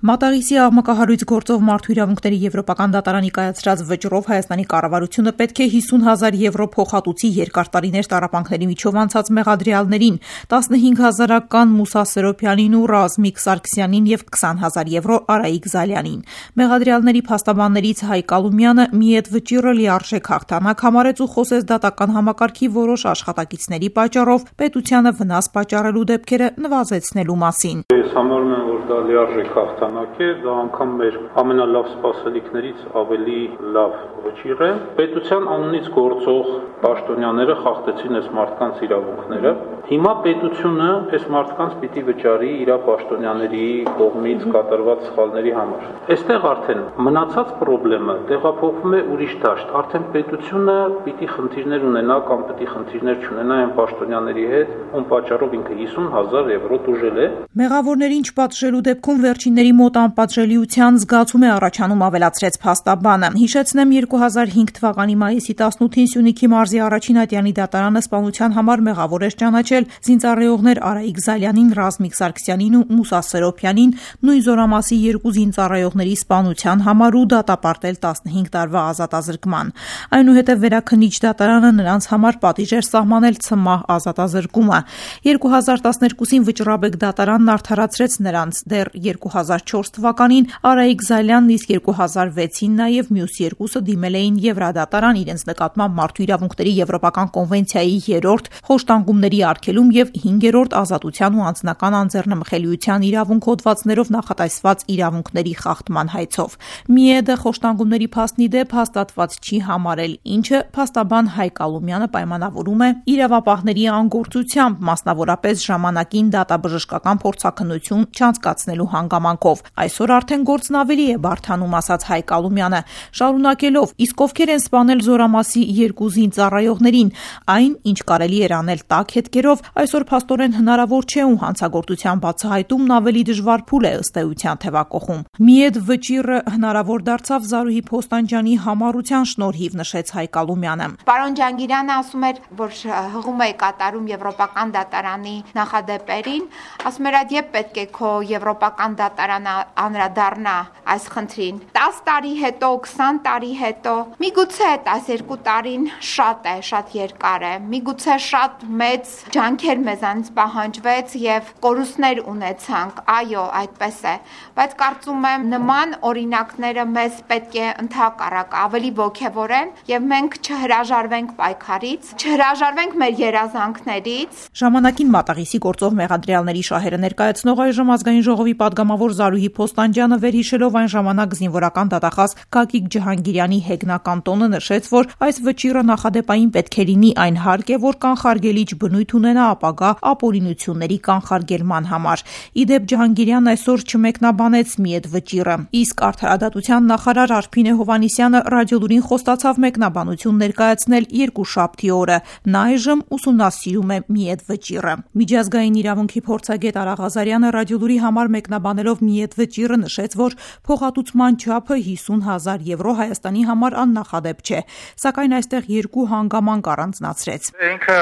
Մատաղիսի աղմկահարույց գործով մարդու իրավունքների եվրոպական դատարանի կայացրած վճռով Հայաստանի կառավարությունը պետք է 50,000 եվրո փոխհատուցի երկար տարիներ տառապանքների միջով անցած մեղադրյալներին, 15,000-ական Մուսա Սերոբյանին ու Ռազմիկ Սարգսյանին և 20,000 եվրո Արայիկ Զալյանին։ Մեղադրյալների փաստաբաններից Հայկ Ալումյանը մի այդ վճիռը լիարժեք հաղթանակ համարեց ու խոսեց դատական համակարգի որոշ աշխատակիցների պատճառով պետությանը վնաս պատճառելու դեպքերը նվազեցնելու մասին։ Ես համարում եմ, որ դա լիարժեք հաղթանակ է, դա անգամ մեր ամենալավ սպասելիքներից ավելի լավ վճիռ է։ Պետության անունից գործող պաշտոնյաները խախտեցին այս մարդկանց իրավունքները։ Հիմա պետությունը այս մարդկանց պիտի վճարի իր պաշտոնյաների կողմից կատարված սխալների համար։ Այստեղ արդեն մնացած խնդիրը տեղափոխվում է ուրիշ դաշտ։ Արդեն պետությունը պիտի խնդիրներ ունենա կամ պիտի խնդիրներ չունենա այն պաշտոնյաների հետ, ում պատճառով ինքը 50,000 եվրո տուժել է։ Մեղավորներին չպատժելու դեպքում վերջինների մոտ անպատժելիության զգացում է առաջանում, ավելացրեց փաստաբանը։ Հիշեցնեմ 2005 թվականի մայիսի 18-ին Սյունիքի մարզի առաջին ատյանի դատարանը սպանության համար մեղավոր էր ճանաչել զինծառայողներ Արայիկ Զալյանին, Ռազմիկ Սարգսյանին ու Մուսա Սերոբյանին նույն զորամասի երկու զինծառայողների սպանության համար ու դատապարտել 15 տարվա ազատազրկման։ Այնուհետև վերաքննիչ դատարանը նրանց համար պատիժ էր սահմանել ցմահ ազատազրկումը։ 2012-ին վճռաբեկ դատարանն արդարացրեց նրանց։ Դեռ 2004 թվականին Արայիկ Զալյանն, իսկ 2006-ին նաև մյուս երկուսը դիմել էին Եվրադատարան իրենց նկատմամբ մարդու իրավունքների եվրոպական կոնվենցիայի 3-րդ խոշտանգումների արգելում և 5-րդ ազատության ու անձնական անձեռնմխելիության իրավունք հոդվածներով նախատեսված իրավունքների խախտման հայցով։ ՄԻԵԴ խոշտանգումների փաստի դեպ հաստատված չի համարել, ինչը փաստաբան Հայկ Ալումյանը պայմանավորում է իրավապահների անգործությամբ, մասնավորապես ժամանակին դատաբժշկական փորձաքննություն չանցկացնելու հանգամանքով։ Այսօր արդեն գործն ավելի է բարդանում, ասաց Հայկ Ալումյանը, շարունակելով. իսկ ովքեր են սպանել զորամասի երկու զինծառայողներին, այն, ինչ կարելի էր անել տաք հետքերով, այսօր փաստորեն հնարավոր չէ ու հանցագործության բացահայտումն ավելի դժվար փուլ է ըստ էության թևակողում։ Միեդ վճիռը հնարավոր դարձավ Զարուհի Փոստանջյանի համառության շնորհիվ, նշեց Հայկ Ալումյանը։ Պարոն Ջանգիրյանը ասում էր, որ հղում է կատարում եվրոպական դատարանի նախադեպերին, ասում էր, այդ երբ պետք է քո եվրոպական դատարանը անդրադառնա այս խնդրին։ 10 տարի հետո, 20 տարի հետո, միգուցե 12 տարին շատ է, շատ երկար է, միգուցե շատ մեծ ջանքեր մեզանից պահանջվեց եւ կորուստներ ունեցանք, այո, այդպես է, բայց կարծում եմ նման օրինակները մեզ պետք է ընդհակառակ ավելի ոգևորեն եւ մենք չհրաժարվենք պայքարից, չհրաժարվենք մեր երազանքներից։ Ժամանակին Մատաղիսի գործով մեղադրյալների շահերը ներկայացնող այժմ Ազգային ժողովի պատգամավոր Զարուհի Փոստանջյանը վերհիշելով այն ժամանակ զինվորական դատախազ Գագիկ Ջհանգիրյանի հեգնական տոնը նշեց, որ այս վճիռը նախադեպային պետք է լինի այն հարկ է, որ կանխարգելիչ բնույթ ունենա ապագա ապօրինությունների կանխարգելման համար։ Իդեպ Ջհանգիրյանն այսօր չմեկնաբանեց մի այդ վճիռը, իսկ արդարադատության նախարար Արփինե Հովհաննիսյանը ռադիոլուրին խոստացավ մեկնաբանություն ներկայացնել երկուշաբթի օրը։ Նա այժմ ուսումնասիրում է մի այդ վճիռը։ Միջազգային իրավունքի փորձագետ Արա Ղազարյանը ռադիոլուրի համար մեկնաբանելով մի այդ վճիռը նշեց, որ փոխհատուցման չափը 50,000 եվրո Հայաստանի համար աննախադեպ չէ, սակայն այստեղ երկու հանգամանք առանձնացրեց։ Ինքը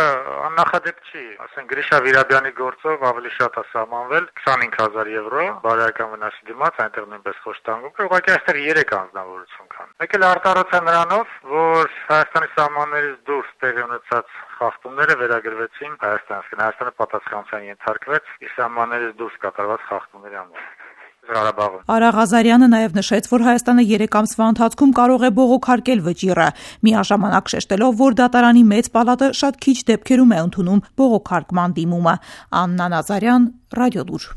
աննախադեպ չի, ասենք Գրիշա Վիրաբյանի գործով ավելի շատ է սահմանվել 25,000 եվրո բարոյական վնասի դիմաց, այնտեղ նույնպես խոշտանգում կա, ուղղակի այստեղ 3 անձնավորություն կան։ Մեկ էլ արտահայտված է նրանով, որ Հայաստանի սահմաններից դուրս տեղի ունեցած խախտումները վերագրվեցին Հայաստանը պատասխանատվության ենթարկվեց իր սահմաններից դուրս կատարված խախտումների համար։ Արա Ղազարյանը նաև նշեց, որ Հայաստանը 3 ամսվա ընթացքում կարող է բողոքարկել վճիռը, միաժամանակ շեշտելով, որ դատարանի մեծ պալատը շատ քիչ դեպքերում է ընդունում բողոքարկման դիմումը։ Աննա Նազարյան, Ռադիոլուր։